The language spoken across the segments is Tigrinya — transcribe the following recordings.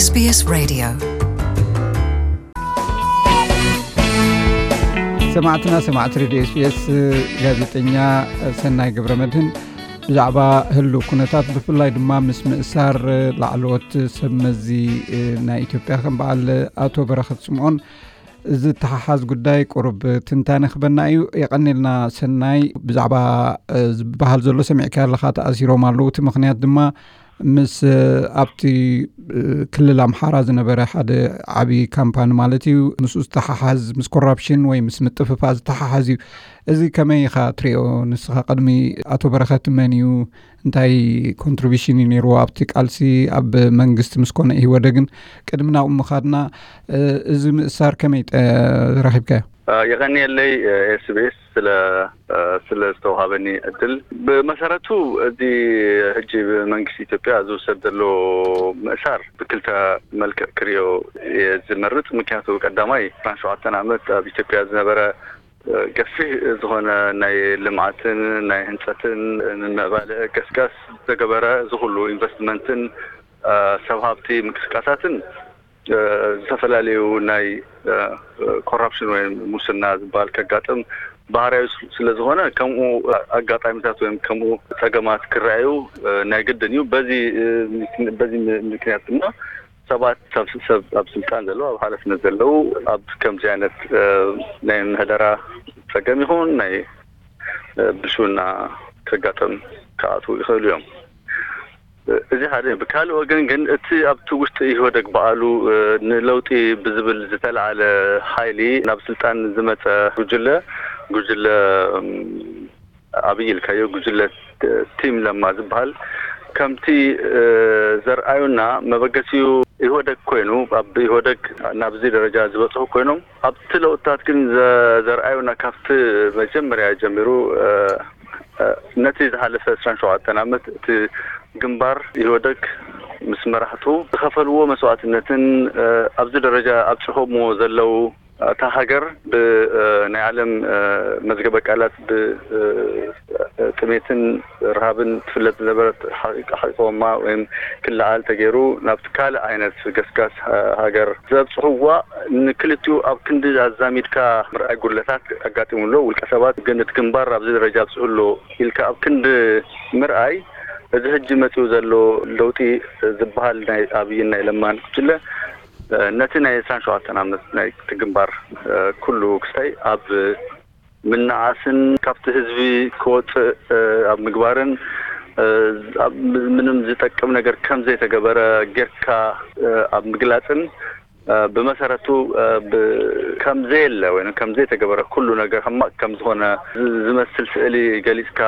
SBS Radio. ሰማዕትና ሰማዕቲ ሬድዮ ኤስቢኤስ፣ ጋዜጠኛ ሰናይ ገብረ መድህን ብዛዕባ ህልው ኩነታት፣ ብፍላይ ድማ ምስ ምእሳር ላዕለዎት ሰብ መዚ ናይ ኢትዮጵያ ከም በዓል ኣቶ በረኸት ስምዖን ዝተሓሓዝ ጉዳይ ቁሩብ ትንታነ ክበና እዩ። የቐኔልና ሰናይ። ብዛዕባ ዝበሃል ዘሎ ሰሚዕካ ኣለኻ፣ ተኣሲሮም ኣለዉ። እቲ ምኽንያት ድማ ምስ ኣብቲ ክልል ኣምሓራ ዝነበረ ሓደ ዓብዪ ካምፓኒ ማለት እዩ፣ ምስኡ ዝተሓሓዝ፣ ምስ ኮራፕሽን ወይ ምስ ምጥፍፋ ዝተሓሓዝ እዩ። እዚ ከመይ ኢኻ ትሪኦ ንስኻ? ቅድሚ ኣቶ በረኸት መን እዩ? እንታይ ኮንትሪቢሽን እዩ ነይርዎ ኣብቲ ቃልሲ? ኣብ መንግስቲ ምስ ኮነ ኢህወደግን ቅድሚ ናብኡ ምኻድና፣ እዚ ምእሳር ከመይ ጠ-፣ ረኺብካዮ? የቐንየለይ ኤስቢኤስ ስለ ስለ ዝተውሃበኒ ዕድል። ብመሰረቱ፣ እዚ ሕጂ ብመንግስቲ ኢትዮጵያ ዝውሰድ ዘሎ ምእሳር ብክልተ መልክዕ ክሪኦ እየ ዝመርጽ። ምክንያቱ፣ ቀዳማይ፣ ዕስራን ሸውዓተን ዓመት ኣብ ኢትዮጵያ ዝነበረ ገፊሕ ዝኾነ ናይ ልምዓትን ናይ ህንፀትን ንምዕባለ ገስጋስ ዝተገበረ፣ እዚ ኩሉ ኢንቨስትመንትን ሰብ ሃብቲ ምንቅስቃሳትን ዝተፈላለዩ ናይ ኮራፕሽን ወይ ሙስና ዝበሃል ከጋጥም ባህርያዊ ስለ ዝኾነ፣ ከምኡ ኣጋጣሚታት ወይ ከምኡ ጸገማት ክረኣዩ ናይ ግድን እዩ። በዚ በዚ ምክንያት ድማ ሰባት፣ ሰብ ኣብ ስልጣን ዘለዉ፣ ኣብ ሓላፍነት ዘለዉ፣ ኣብ ከምዚ ዓይነት ናይ ምሕደራ ጸገም ይኹን ናይ ብልሽውና ከጋጥም ክኣትዉ ይኽእሉ እዮም። እዚ ሓደ እዩ። ብካልእ ወገን ግን፣ እቲ ኣብቲ ውሽጢ ኢህወደግ በዓሉ ንለውጢ ብዝብል ዝተለዓለ ሓይሊ ናብ ስልጣን ዝመጸ ጉጅለ፣ ጉጅለ ኣብይ ኢልካዮ፣ ጉጅለ ቲም ለማ ዝበሃል፣ ከምቲ ዘርኣዩና፣ መበገሲኡ ኢህወደግ ኮይኑ፣ ኣብ ኢህወደግ ናብዚ ደረጃ ዝበጽሑ ኮይኖም፣ ኣብቲ ለውጥታት ግን ዘ-፣ ዘርኣዩና፣ ካብቲ መጀመርያ ጀሚሩ፣ ነቲ ዝሓለፈ ዕስራን ሸውዓተን ዓመት እቲ ግንባር ኢህወደግ ምስ መራሕቱ ዝኸፈልዎ መስዋዕትነትን፣ ኣብዚ ደረጃ ኣብጽሖምዎ ዘለዉ፣ እታ ሃገር ብ-፣ ናይ ዓለም መዝገበ ቃላት ብ-፣ ጥሜትን ረሃብን ትፍለጥ ዝነበረት ሓቂ-፣ ሓቂቆማ ወይም ክለዓል ተገይሩ፣ ናብቲ ካልእ ዓይነት ገስጋስ ሃገር ዘብጽሕዋ፣ ንክልቲኡ ኣብ ክንዲ ኣዛሚድካ ምርኣይ ጉድለታት ኣጋጢሙ ኣሎ። ውልቀ ሰባት ግን፣ እቲ ግንባር ኣብዚ ደረጃ ኣብጽሑ ኣሎ ኢልካ ኣብ ክንዲ ምርኣይ፣ እዚ ሕጂ መጺኡ ዘሎ ለውጢ ዝበሃል ናይ ኣብይን ናይ ለማን ጉጅለ፣ ነቲ ናይ ዕስራን ሸውዓተን ዓመት ናይ እቲ ግንባር ኩሉ ክስታይ ኣብ ምንዓስን ካብቲ ህዝቢ ክወጽእ ኣብ ምግባርን፣ ኣብ ምንም ዝጠቅም ነገር ከም ዘይተገበረ ጌርካ ኣብ ምግላጽን፣ ብመሰረቱ ብ-፣ ከም ዘየለ ወይ ከም ዘይተገበረ፣ ኩሉ ነገር ሕማቕ ከም ዝኾነ ዝ-፣ ዝመስል ስእሊ ገሊጽካ፣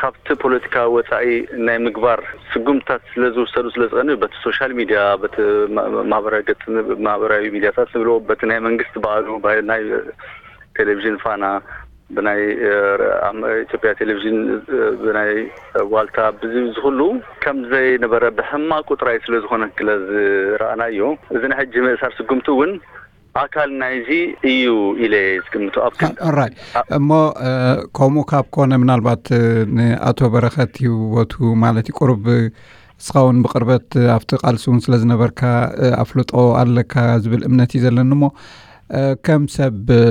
ካብቲ ፖለቲካ ወጻኢ ናይ ምግባር ስጉምትታት ስለ ዝውሰዱ ስለ ዝቐንዩ፣ በቲ ሶሻል ሚድያ፣ በቲ ማ-፣ ማህበራዊ ገጽ፣ ማህበራዊ ሚድያታት ንብሎ፣ በቲ ናይ መንግስቲ በዓሉ፣ ባ-፣ ናይ ቴሌቪዥን ፋና፣ ብናይ፣ እ፣ ኣም-፣ ኢትዮጵያ ቴሌቪዥን፣ እ፣ ብናይ ዋልታ፣ ብዚ፣ እዚ ኩሉ ከም ዘይነበረ ብሕማቁ ጥራይ ስለ ዝኾነ ክለ ዝረኣናዮ፣ እዚ ናይ ሕጂ ምእሳር ስጉምቲ እውን ኣካል ናይዚ እዩ ኢለ እየ ዝግምቶ። ኣብ ክንዲ ኦራይት። አ- እሞ፣ እ፣ ከምኡ ካብ ኮነ፣ ምናልባት፣ እ፣ ንኣቶ በረኸት ይወቱ ማለት እዩ፣ ቁሩብ፣ እ፣ እስኻ እውን ብቕርበት፣ እ፣ ኣብቲ ቃልሲ እውን ስለ ዝነበርካ፣ እ፣ ኣፍልጦ ኣለካ ዝብል እምነት እዩ ዘለኒ። እሞ፣ እ፣ ከም ሰብ፣ እ፣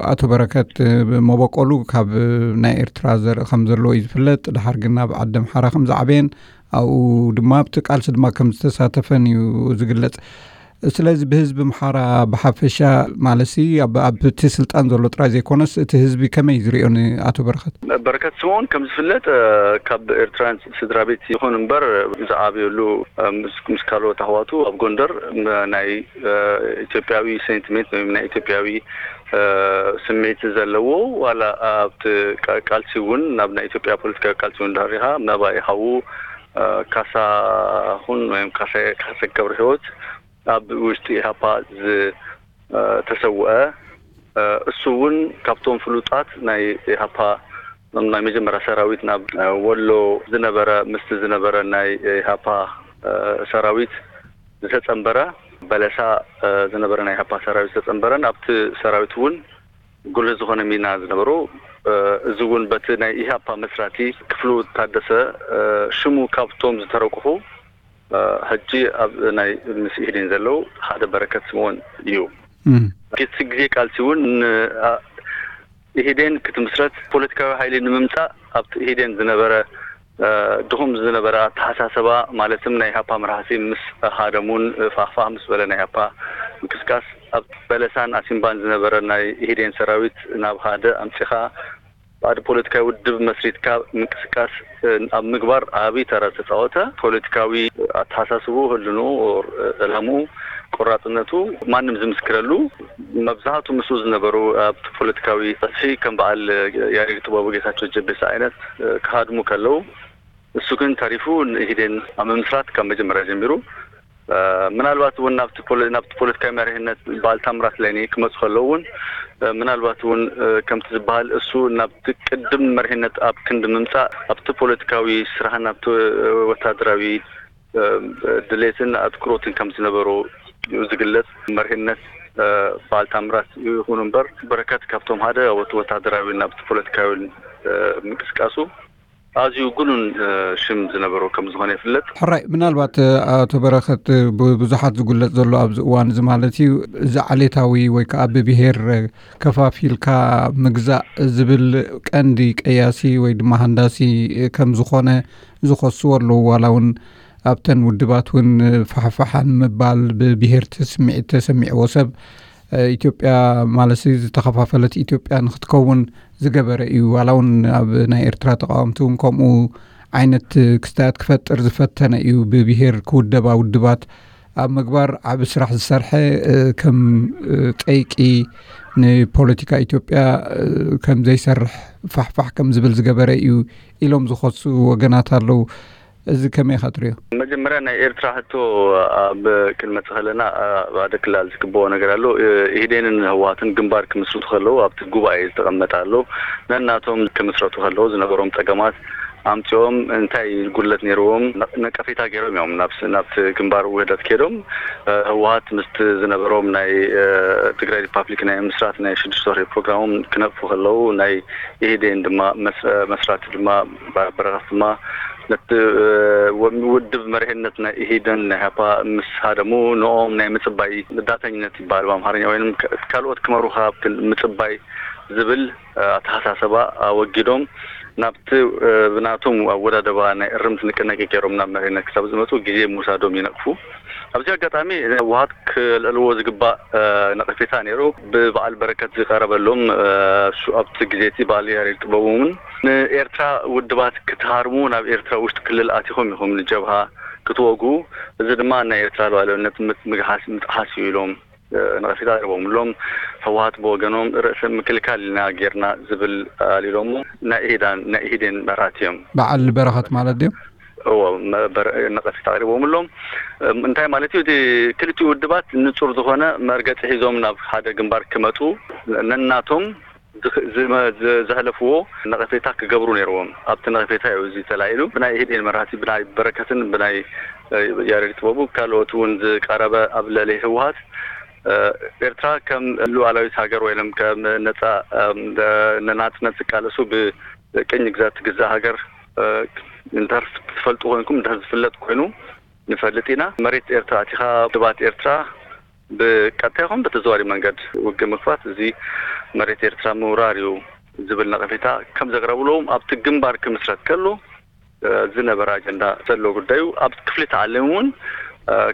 ኣቶ በረከት፣ እ፣ መበቆሉ ካብ፣ እ፣ ናይ ኤርትራ ዘርኢ ከም ዘለዎ እዩ ዝፍለጥ። ድሓር ግን ናብ ዓዲ ኣምሓራ ከም ዝዓበየን፣ ኣብኡ ድማ ኣብቲ ቃልሲ ድማ ከም ዝተሳተፈን እዩ ዝግለጽ። ስለዚ ብህዝቢ ኣምሓራ ብሓፈሻ ማለትሲ ኣብ፣ ኣብቲ ስልጣን ዘሎ ጥራይ ዘይኮነስ፣ እቲ ህዝቢ ከመይ ዝርእዮ ንኣቶ በረኸት? በረከት ስምኦን ከም ዝፍለጥ፣ እ፣ ካብ ኤርትራን ስድራ ቤት ይኹን እምበር፣ ዝዓበየሉ፣ እ፣ ምስ፣ ምስ ካልኦት ኣሕዋቱ ኣብ ጎንደር፣ ም-፣ ናይ፣ እ፣ ኢትዮጵያዊ ሴንቲሜንት ወይ ናይ ኢትዮጵያዊ፣ እ፣ ስምዒት ዘለዎ፣ ዋላ ኣብቲ ቃ-፣ ቃልሲ እውን፣ ናብ ናይ ኢትዮጵያ ፖለቲካዊ ቃልሲ እውን ዳሪኻ፣ መባኢ ሓዉ፣ እ፣ ካሳሁን ወይም ካሳ፣ ካሳ ገብረ ህይወት ኣብ ውሽጢ ኢሃፓ ዝ-፣ እ፣ ተሰውአ። እ፣ እሱ እውን ካብቶም ፍሉጣት ናይ ኢሃፓ፣ ናይ መጀመርያ ሰራዊት ናብ፣ እ፣ ወሎ ዝነበረ፣ ምስቲ ዝነበረ ናይ ኢሃፓ፣ እ፣ ሰራዊት ዝተጸንበረ፣ በለሳ፣ እ፣ ዝነበረ ናይ ኢሃፓ ሰራዊት ዝተጸንበረን ኣብቲ ሰራዊት እውን ጉልህ ዝኾነ ሚና ዝነበሩ፣ እ፣ እዚ እውን በቲ ናይ ኢሃፓ መስራቲ ክፍሉ ታደሰ፣ እ፣ ሽሙ ካብቶም ዝተረቁሑ ሕጂ ኣብ ናይ ምስ ኢህዴን ዘለዉ ሓደ በረከት ስምኦን እዩ። እቲ ግዜ ቃልሲ እውን ኢህዴን ክትምስረት ፖለቲካዊ ሓይሊ ንምምፃእ ኣብቲ ኢህዴን ዝነበረ ድኹም ዝነበረ ኣተሓሳሰባ፣ ማለትም ናይ ኢህኣፓ መራሕቲ ምስ ሃደሙን ፋህፋህ ምስ በለ ናይ ኢህኣፓ ምቅስቃስ፣ ኣብ በለሳን ኣሲምባን ዝነበረ ናይ ኢህዴን ሰራዊት ናብ ሃደ ኣምፂኻ ባዕዲ ፖለቲካዊ ውድብ መስሪትካ ምንቅስቃስ ኣብ ምግባር ዓብዪ ተራ ዝተፃወተ፣ ፖለቲካዊ ኣተሓሳስቡ፣ ህልንኡ፣ ዕላምኡ፣ ቆራፅነቱ ማንም ዝምስክረሉ፣ መብዛሕቱ ምስኡ ዝነበሩ ኣብቲ ፖለቲካዊ ፀፍሒ ከም በዓል ያሬድ ጥበቡ፣ ጌታቸው ጀቤሳ ዓይነት ክሃድሙ ከለዉ፣ እሱ ግን ተሪፉ ንኢህዴን ኣብ ምምስራት ካብ መጀመርያ ጀሚሩ ምናልባት እውን ናብቲ ፖለቲካዊ መሪሕነት በዓል ታምራት ላይኔ ክመፁ ከለዉ እውን ምናልባት እውን ከምቲ ዝበሃል እሱ ናብቲ ቅድም መሪሕነት ኣብ ክንዲ ምምፃእ ኣብቲ ፖለቲካዊ ስራሕን ኣብቲ ወታደራዊ ድሌትን ኣትኩሮትን ከም ዝነበሮ ዝግለፅ። መሪሕነት በዓል ታምራት ይኹን እምበር በረከት ካብቶም ሓደ ወታደራዊ ናብቲ ፖለቲካዊ ምንቅስቃሱ ኣዝዩ ግኑን ሽም ዝነበሮ ከም ዝኾነ ይፍለጥ። ሕራይ፣ ምናልባት ኣቶ በረኸት፣ ብዙሓት ዝጉለጽ ዘሎ ኣብዚ እዋን እዚ ማለት እዩ፣ እዚ ዓሌታዊ ወይ ከዓ ብብሄር ከፋፊልካ ምግዛእ ዝብል ቀንዲ ቀያሲ ወይ ድማ ሃንዳሲ ከም ዝኾነ ዝኸስዎ ኣለዉ። ዋላ እውን ኣብተን ውድባት እውን ፋሕፋሓን ምባል ብብሄር ስምዒት ተሰሚዕዎ ሰብ ኢትዮጵያ ማለት ዝተኸፋፈለት ኢትዮጵያ ንክትከውን ዝገበረ እዩ። ዋላ እውን ኣብ ናይ ኤርትራ ተቃወምቲ እውን ከምኡ ዓይነት ክስታያት ክፈጥር ዝፈተነ እዩ። ብብሄር ክውደባ ውድባት ኣብ ምግባር ዓቢ ስራሕ ዝሰርሐ ከም ጠይቂ ንፖለቲካ ኢትዮጵያ ከም ዘይሰርሕ ፋሕፋሕ ከም ዝብል ዝገበረ እዩ ኢሎም ዝኸሱ ወገናት ኣለዉ። እዚ ከመይ ኢኻ ትሪኦ? መጀመርያ ናይ ኤርትራ ሕቶ ኣብ ክንመጽእ ከለና ኣብ ሓደ ክላል ዝግብኦ ነገር ኣሎ። ኢህዴንን ህወሓትን ግንባር ክምስርቱ ከለዉ ኣብቲ ጉባኤ ዝተቐመጠ ኣሎ። ነናቶም ክምስረቱ ከለዉ ዝነበሮም ጸገማት ኣምጺኦም እንታይ ጉድለት ነይርዎም ነቀፌታ ገይሮም እዮም ናብቲ ግንባር ውህደት ከይዶም። ህወሓት ምስቲ ዝነበሮም ናይ ትግራይ ሪፓብሊክ ናይ ምስራት ናይ ሽዱሽተ ወርሒ ፕሮግራሞም ክነቅፉ ከለዉ ናይ ኢህዴን ድማ መስራቲ ድማ በረኸት ድማ ነቲ ውድብ መሪሕነት ናይ ኢህዴን ናይ ኢህኣፓ ምስ ሃደሙ ንኦም ናይ ምጽባይ ዳተኝነት ይበሃል ብኣምሓርኛ ወይም ካልኦት ክመሩኻ ምጽባይ ዝብል ኣተሓሳሰባ ኣወጊዶም ናብቲ ብናቶም ኣወዳደባ ናይ እርምት ንቅናቄ ገይሮም ናብ መሪሕነት ክሳብ ዝመፁ ግዜ ምውሳዶም ይነቅፉ። ኣብዚ ኣጋጣሚ ህወሓት ክልዕልዎ ዝግባእ ነቐፌታ ነይሩ። ብበዓል በረከት ዝቀረበሎም ኣብቲ ግዜ እቲ በዓል ያሬድ ጥበቡ እውን ንኤርትራ ውድባት ክትሃርሙ ናብ ኤርትራ ውሽጢ ክልል ኣቲኹም ኢኹም ንጀብሃ ክትወጉ፣ እዚ ድማ ናይ ኤርትራ ሉዓላዊነት ምግሓስ ምጥሓስ እዩ ኢሎም ነቐፌታ ኣቅሪቦምሎም። ህወሓት ብወገኖም ርእሰ ምክልካል ኢና ጌርና ዝብል ኣልኢሎሞ ናይ ኢህዴን መራሕቲ እዮም። በዓል በረኸት ማለት ድዮም? እዎ፣ ነቐፌታ ኣቅሪቦምሎም። እንታይ ማለት እዩ? እቲ ክልቲኡ ውድባት ንጹር ዝኾነ መርገጺ ሒዞም ናብ ሓደ ግንባር ክመጹ ነናቶም ዘሕለፍዎ ነቐፌታ ክገብሩ ነይርዎም። ኣብቲ ነቐፌታ እዩ እዚ ተላዒሉ። ብናይ ኢህዴን መራሕቲ ብናይ በረከትን ብናይ ያሬድ ጥበቡ ካልኦት እውን ዝቀረበ ኣብ ልዕሊ ህወሓት ኤርትራ ከም ሉዓላዊት ሃገር ወይም ከም ነፃ ንናፅነት ዝቃለሱ ብቅኝ ግዛት ትግዛእ ሃገር እንድሕር ትፈልጡ ኮይንኩም እንድሕር ዝፍለጥ ኮይኑ ንፈልጥ ኢና። መሬት ኤርትራ ኣቲኻ ድባት ኤርትራ ብቀጥታ ይኹን ብተዘዋሪ መንገድ ውግእ ምክፋት እዚ መሬት ኤርትራ ምውራር እዩ ዝብል ነቐፌታ ከም ዘቅረብሎም ኣብቲ ግንባር ክምስረት ከሎ ዝነበረ ኣጀንዳ ዘሎ ጉዳዩ ኣብ ክፍሊ ተዓሊም እውን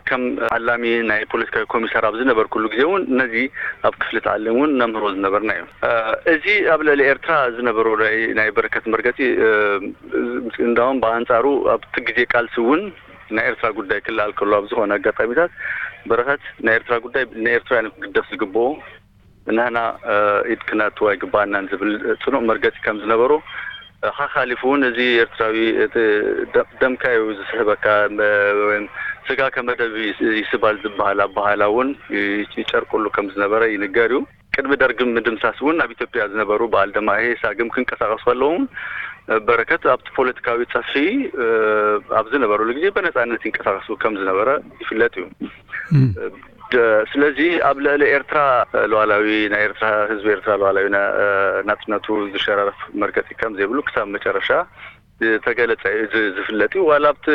ከም ዓላሚ ናይ ፖለቲካዊ ኮሚሳር ኣብ ዝነበርኩሉ ግዜ እውን ነዚ ኣብ ክፍሊ ተዓሊም እውን ነምህሮ ዝነበርና እዩ። እዚ ኣብ ልዕሊ ኤርትራ ዝነበሩ ናይ በረከት መርገፂ እንዳውም ብኣንፃሩ ኣብቲ ግዜ ቃልሲ እውን ናይ ኤርትራ ጉዳይ ክለዓል ከሎ ኣብ ዝኾነ ኣጋጣሚታት በረኸት ናይ ኤርትራ ጉዳይ ንኤርትራውያን ክግደፍ ዝግብኦ ንሕና ኢድ ክነእትዎ ኣይግባኣናን ዝብል ፅኑዕ መርገፂ ከም ዝነበሩ ሓኻሊፉ እውን እዚ ኤርትራዊ ደምካ እዩ ዝስሕበካ ወይም ስጋ ከመደብ ይስባል ዝበሃል ኣባሃላ እውን ይጨርቁሉ ከም ዝነበረ ይንገር እዩ። ቅድሚ ደርግ ምድምሳስ እውን ኣብ ኢትዮጵያ ዝነበሩ በዓል ደማሄ ሳግም ክንቀሳቀሱ ከለዉ እውን በረከት ኣብቲ ፖለቲካዊ ጸፍሒ ኣብ ዝነበሩሉ ግዜ ብነጻነት ይንቀሳቀሱ ከም ዝነበረ ይፍለጥ እዩ። ስለዚ ኣብ ልዕሊ ኤርትራ ሉዓላዊ ናይ ኤርትራ ህዝቢ ኤርትራ ሉዓላዊ ናጽነቱ ዝሸራረፍ መርገጺ ከም ዘይብሉ ክሳብ መጨረሻ ዝተገለጸ እዩ ዝ- ዝፍለጥ እዩ። ዋላ ኣብቲ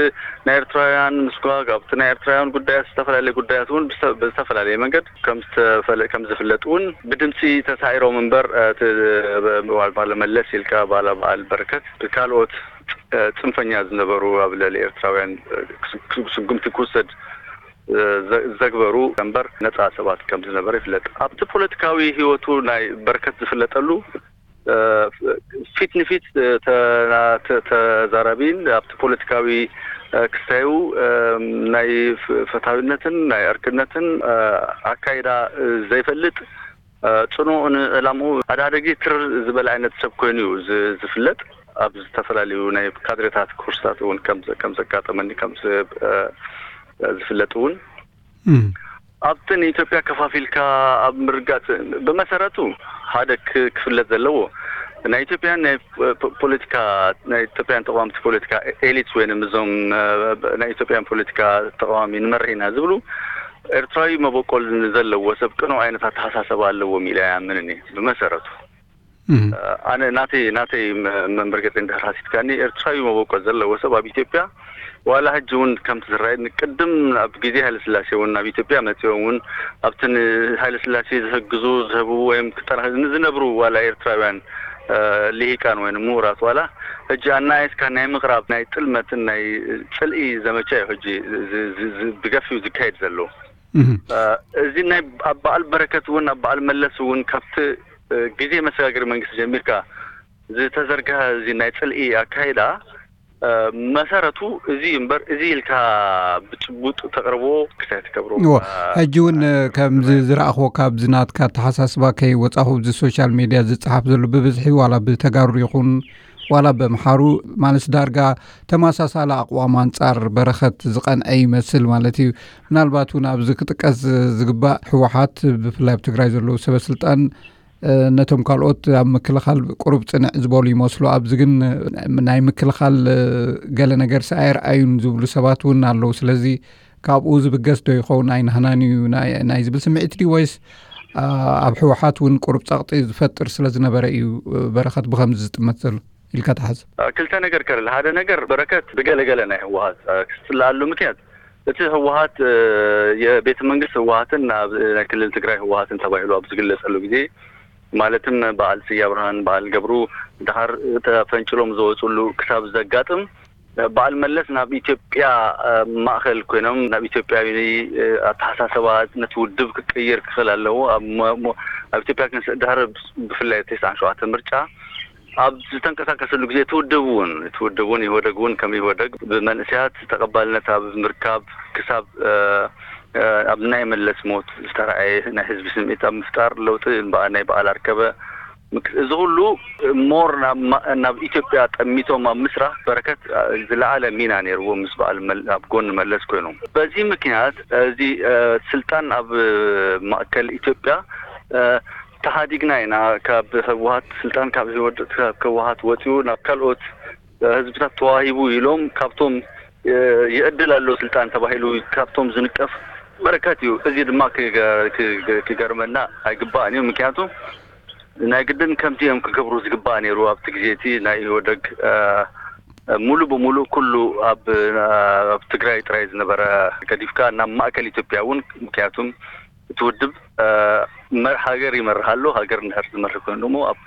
ናይ ኤርትራውያን ምስጓግ፣ ኣብቲ ናይ ኤርትራውያን ጉዳያት፣ ዝተፈላለየ ጉዳያት እውን ብዝተ- ብዝተፈላለየ መንገድ ከም ዝተፈለ- ከም ዝፍለጥ እውን ብድምፂ ተሳኢሮም እምበር፣ እ፣ እቲ ብ- ባለ መለስ ኢልካ፣ ባለ በዓል በረከት፣ ካልኦት፣ እ፣ ጽንፈኛ ዝነበሩ ኣብ ልዕሊ ኤርትራውያን፣ እ፣ ክስ- ክስ- ስጉምቲ ክውሰድ፣ እ፣ ዘ- ዘግበሩ እምበር ነጻ ሰባት ከም ዝነበረ ይፍለጥ። ኣብቲ ፖለቲካዊ ህይወቱ ናይ በረከት ዝፍለጠሉ፣ እ፣ ፊት ንፊት፣ እ፣ ተ- ተ- ተዛራቢን ኣብቲ ፖለቲካዊ፣ እ፣ ክስታዩ፣ እ፣ ናይ ፍ- ፈታዊነትን ናይ ዕርክነትን፣ እ፣ ኣካይዳ፣ እ፣ ዘይፈልጥ፣ እ፣ ጽኑዕ ንዕላምኡ ኣዳደጊ ትር ዝበለ ዓይነት ሰብ ኮይኑ እዩ ዝ- ዝፍለጥ። ኣብ ዝተፈላለዩ ናይ ካድሬታት ኮርስታት እውን ከም ዘ- ከም ዘጋጠመኒ ከም ዝ- እ፣ ዝፍለጥ እውን ኣብቲ ንኢትዮጵያ ከፋፊልካ ኣብ ምርጋጽ፣ ብመሰረቱ ሓደ ክ- ክፍለጥ ዘለዎ ናይ ኢትዮጵያን ናይ ፖ- ፖለቲካ፣ ናይ ኢትዮጵያን ተቃወምቲ ፖለቲካ ኤሊትስ ወይንም እዞም፣ እ፣ ናይ ኢትዮጵያን ፖለቲካ ተቃዋሚ ንመርሕ ኢና ዝብሉ ኤርትራዊ መበቆል ዘለዎ ሰብ ቅኑዕ ዓይነት ኣተሓሳሰባ ኣለዎም ኢለ ኣይኣምንን እየ ብመሰረቱ። ኣነ ናተይ ናተይ መ- መመርገፂ እንድሕር ሓሲትካኒ፣ ኤርትራዊ መበቆል ዘለዎ ሰብ ኣብ ኢትዮጵያ ዋላ ሕጂ እውን ከምቲ ዝረኣየኒ፣ ቅድም ኣብ ግዜ ሃይለስላሴ እውን ናብ ኢትዮጵያ መፂኦም እውን ኣብቲ ንሃይለስላሴ ዝሕግዙ ዝህቡ ወይም ክጠና- ንዝነብሩ ዋላ ኤርትራውያን፣ እ፣ ልሂቃን ወይ ምሁራት ዋላ ሕጂ ኣናየስካ ናይ ምቕራብ ናይ ጥልመትን ናይ ፅልኢ ዘመቻ እዩ ሕጂ ዝ- ዝ- ዝ- ብገፊው ዝካየድ ዘሎ። እ፣ እዚ ናይ ኣብ በዓል በረከት እውን ኣብ በዓል መለስ እውን ካብቲ፣ እ፣ ግዜ መሰጋገሪ መንግስቲ ጀሚርካ ዝተዘርግሐ እዚ ናይ ጽልኢ ኣካይዳ፣ እ፣ መሰረቱ እዚ እምበር፣ እዚ ኢልካ ብጭቡጥ ተቕርቦ ክሳይ ትገብሮ። እዎ፣ ሕጂ እውን፣ እ፣ ከምዚ ዝረኣኽዎ፣ ካብዚ ናትካ ኣተሓሳስባ ከይወጻኹ፣ ኣብዚ ሶሻል ሜድያ ዝጸሓፍ ዘሎ ብብዝሒ ዋላ ብተጋሩ ይኹን ዋላ በምሓሩ፣ ማለት ዳርጋ ተመሳሳሊ ኣቕዋም ኣንጻር በረኸት ዝቐንዐ ይመስል ማለት እዩ። ምናልባት እውን ኣብዚ ክጥቀስ ዝግባእ፣ ህወሓት ብፍላይ ኣብ ትግራይ ዘለዉ ሰበ ስልጣን፣ እ፣ ነቶም ካልኦት ኣብ ምክልኻል ቁሩብ ጽንዕ ዝበሉ ይመስሉ። ኣብዚ ግን፣ እ፣ ናይ ምክልኻል፣ እ፣ ገለ ነገርሲ ኣየርኣዩን ዝብሉ ሰባት እውን ኣለዉ። ስለዚ ካብኡ ዝብገስ ዶ ይኸውን? ኣይናህናን እዩ ናይ ናይ ዝብል ስምዒት ድዩ፣ ወይስ፣ እ፣ ኣብ ህወሓት እውን ቁሩብ ጸቕጢ ዝፈጥር ስለ ዝነበረ እዩ፣ እ፣ በረኸት ብኸምዚ ዝጥመት ዘሎ ኢልካ ትሓስብ? እ፣ ክልተ ነገር ከለለ፣ ሓደ ነገር በረከት ብገለገለ ናይ ህወሓት፣ እ፣ ክስፅለኣሉ ምክንያት እቲ ህወሓት፣ እ፣ የቤተ መንግስት ህወሓትን ኣብ ናይ ክልል ትግራይ ህወሓትን ተባሂሉ ኣብ ዝግለጸሉ ግዜ፣ ማለትም በዓል ስያ ብርሃን፣ በዓል ገብሩ፣ ድሓር ተፈንጭሎም ዝወፅሉ ክሳብ ዘጋጥም፣ በዓል መለስ ናብ ኢትዮጵያ፣ እ፣ ማእኸል ኮይኖም ናብ ኢትዮጵያዊ፣ እ፣ ኣተሓሳሰባ ነቲ ውድብ ክቅይር ክኽእል ኣለዎ። ኣብ ሞ- ሞ- ኣብ ኢትዮጵያ ክንስ- ድሕሪ ብፍላይ ተስዓን ሸውዓተ ምርጫ ኣብ ዝተንቀሳቀሰሉ ግዜ እቲ ውድብ እውን እቲ ውድብ እውን ኢህወደግ እውን ከም ኢህወደግ ብመንእሰያት ተቐባልነት ኣብ ምርካብ ክሳብ፣ እ፣ እ፣ ኣብ ናይ መለስ ሞት ዝተረኣየ ናይ ህዝቢ ስምዒት ኣብ ምፍጣር ለውጢ እምበኣር ናይ በዓል ኣርከበ ምክ- እዚ ኩሉ ሞር ናብ ማ- ናብ ኢትዮጵያ ጠሚቶም ኣብ ምስራሕ በረከት፣ እ፣ ዝለዓለ ሚና ነይርዎ ምስ በዓል መል- ኣብ ጎኒ መለስ ኮይኖም። በዚ ምክንያት እዚ፣ እ፣ ስልጣን ኣብ ማእከል ኢትዮጵያ፣ እ፣ ተሓዲግና ኢና ካብ ህወሓት፣ ስልጣን ካብ ህወድ- ካብ ህወሓት ወፂኡ ናብ ካልኦት ህዝብታት ተዋሂቡ ኢሎም ካብቶም፣ እ፣ ይዕድል ኣሎ ስልጣን ተባሂሉ ካብቶም ዝንቀፍ በረከት እዩ። እዚ ድማ ክገ- ክገ- ክገርመና ኣይግባእን እዩ። ምክንያቱ ናይ ግድን ከምዚ እዮም ክገብሩ ዝግባእ ነይሩ። ኣብቲ ግዜ እቲ ናይ ኢህወደግ፣ እ፣ ሙሉ ብሙሉ ኩሉ ኣብ ኣብ ትግራይ ጥራይ ዝነበረ ገዲፍካ ናብ ማእከል ኢትዮጵያ እውን፣ ምክንያቱም እቲ ውድብ፣ እ፣ መር- ሃገር ይመርህ ኣሎ። ሃገር እንድሕር ዝመርህ ኮይኑ ደግሞ ኣብ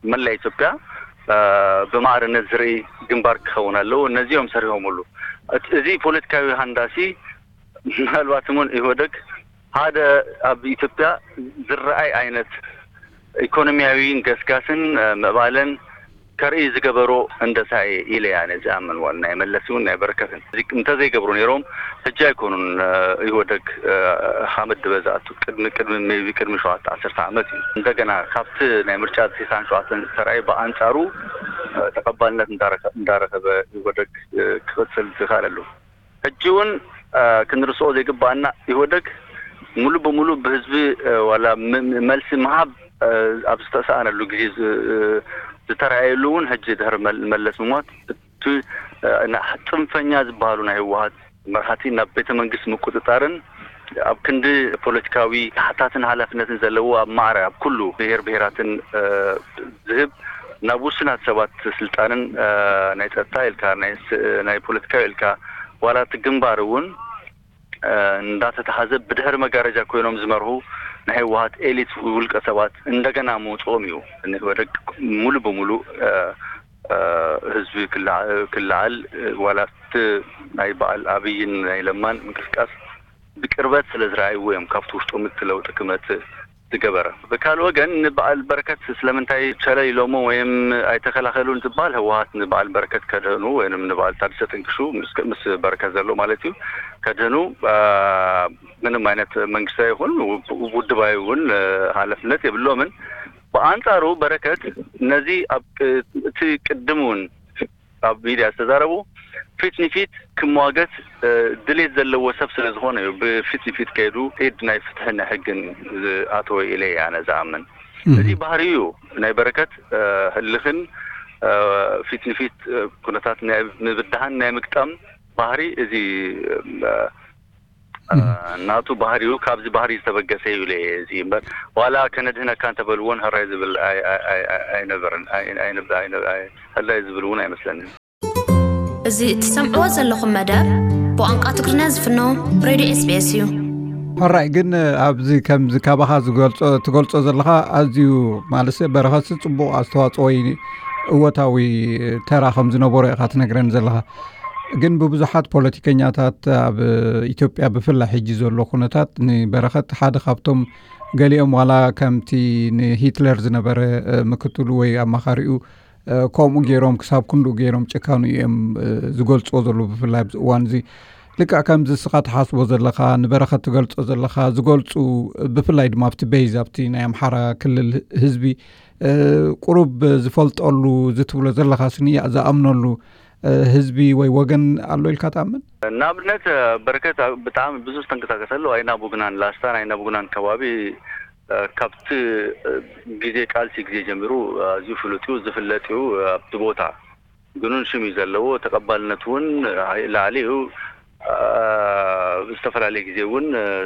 መላ ኢትዮጵያ፣ እ፣ ብማዕርነት ዝርኢ ግንባር ክኸውን ኣለዎ። ነዚኦም ሰሪሖምሉ። እት- እዚ ፖለቲካዊ ሃንዳሲ ምናልባት እውን ኢህወደግ ሓደ ኣብ ኢትዮጵያ ዝረኣይ ዓይነት ኢኮኖሚያዊ ገስጋስን፣ እ፣ ምዕባለን ከርኢ ዝገበሮ ህንደሳ እየ ኢለ እያ ነዚ ኣምን። ዋላ ናይ መለስ እውን ናይ በረከትን እዚ እንተዘይገብሩ ነይሮም ሕጂ ኣይኮኑን፣ እ፣ ኢህወደግ፣ እ፣ ሓመድ ድበ ዝኣቱ ቅድሚ ቅድሚ ሜቢ ቅድሚ ሸውዓተ ዓሰርተ ዓመት እዩ። እንደገና ካብቲ ናይ ምርጫ ተስዓን ሸውዓተን ዝተረኣየ ብኣንጻሩ፣ እ፣ ተቐባልነት እንዳረኸ- እንዳረኸበ ኢህወደግ፣ እ፣ ክቕጽል ዝኽኣለሉ። ሕጂ እውን፣ እ፣ ክንርስኦ ዘይግባኣና ኢህወደግ ሙሉ ብሙሉ ብህዝቢ፣ እ፣ ዋላ ም- ም- መልሲ ምሃብ፣ እ፣ ኣብ ዝተሰኣነሉ ግዜ ዝ- እ፣ ዝተረኣየሉ እውን ሕጂ ድሕሪ መል- መለስ ምሟት እቲ፣ እ፣ ና- ጽንፈኛ ዝበሃሉ ናይ ህወሓት መራሕቲ ናብ ቤተ መንግስት ምቁጽጻርን ኣብ ክንዲ ፖለቲካዊ ተሓታትን ሓላፍነትን ዘለዎ ኣብ ማዕረ ኣብ ኩሉ ብሄር ብሄራትን፣ እ፣ ዝህብ ናብ ውሱናት ሰባት ስልጣንን ናይ ጸጥታ ኢልካ ናይ ፖለቲካዊ ኢልካ ዋላ እቲ ግንባር እውን እንዳተተሓዘ ብድሕሪ መጋረጃ ኮይኖም ዝመርሁ ናይ ህወሓት ኤሊት ውልቀ ሰባት እንደገና ምውፅኦም እዩ። ኢህወደግ ሙሉ ብሙሉ ህዝቢ ክለዓል ዋላ እቲ ናይ በዓል ኣብይን ናይ ለማን ምንቅስቃስ ብቅርበት ስለ ዝረኣይዎ እዮም ካብቲ ውሽጦም እቲ ለውጢ ክመፅእ ዝገበረ። ብካልእ ወገን ንበዓል በረከት ስለምንታይ ቸለል ኢሎሞ ወይም ኣይተከላከሉን ዝበሃል ህወሓት ንበዓል በረከት ከድህኑ ወይም ንበዓል ታደሰ ጥንቅሹ ምስ በረከት ዘሎ ማለት እዩ ከድህኑ ምንም ዓይነት መንግስታዊ ይኹን ውድባዊ እውን ሃለፍነት የብሎምን። ብኣንፃሩ በረከት ነዚ ኣብ እቲ ቅድም እውን ኣብ ሚድያ ዝተዛረቡ ፊት ንፊት ክመዋገት ድሌት ዘለዎ ሰብ ስለ ዝኾነ እዩ ብፊት ንፊት ከይዱ ኢድ ናይ ፍትሕን ናይ ሕግን ዝኣተወ ኢለ እየ ኣነ ዝኣምን። እዚ ባህሪ እዩ ናይ በረከት ህልኽን ፊት ንፊት ኩነታት ናይ ምብድሃን ናይ ምግጣም ባህሪ እዚ ናቱ ባህሪኡ ካብዚ ባህሪ ዝተበገሰ እዩ ኢለ እየ እዚ እምበር ዋላ ከነድህነካ እንተበልዎን ህራይ ዝብል ኣይነበርን። ህራይ ዝብል እውን ኣይመስለንን። እዚ እትሰምዕዎ ዘለኹም መደብ ብቋንቋ ትግርኛ ዝፍኖ ሬድዮ ኤስቢኤስ እዩ። ሕራይ ግን ኣብዚ ከምዚ ካባኻ ዝገልጾ ትገልጾ ዘለኻ ኣዝዩ ማለሰ በረኸትሲ ጽቡቕ ኣስተዋጽኦ ወይ እወታዊ ተራ ከም ዝነበሮ ኢኻ ትነግረኒ ዘለኻ። ግን ብብዙሓት ፖለቲከኛታት ኣብ ኢትዮጵያ ብፍላይ ሕጂ ዘሎ ኩነታት ንበረኸት ሓደ ካብቶም ገሊኦም ዋላ ከምቲ ንሂትለር ዝነበረ ምክትሉ ወይ ኣማኻሪኡ ከምኡ ገይሮም ክሳብ ክንድኡ ገይሮም ጭካኑ እዮም ዝገልፅዎ ዘለዉ ብፍላይ ኣብዚ እዋን እዚ ልክዕ ከምዚ እስኻ ትሓስቦ ዘለኻ ንበረኸት ትገልፆ ዘለኻ ዝገልፁ ብፍላይ ድማ ኣብቲ ቤዝ ኣብቲ ናይ ኣምሓራ ክልል ህዝቢ ቁሩብ ዝፈልጠሉ እዚ ትብሎ ዘለኻ ስንያእ ዝኣምነሉ ህዝቢ ወይ ወገን ኣሎ ኢልካ ትኣምን? ንኣብነት በረከት ብጣዕሚ ብዙሕ ዝተንቀሳቀሰሉ ኣይና ቡግናን ላስታን ኣይና ቡግናን ከባቢ ካብቲ ግዜ ቃልሲ ግዜ ጀሚሩ ኣዝዩ ፍሉጥ እዩ ዝፍለጥ እዩ ኣብቲ ቦታ ግኑን ሽም እዩ ዘለዎ ተቀባልነት እውን ላዕሊ እዩ ብዝተፈላለየ ግዜ እውን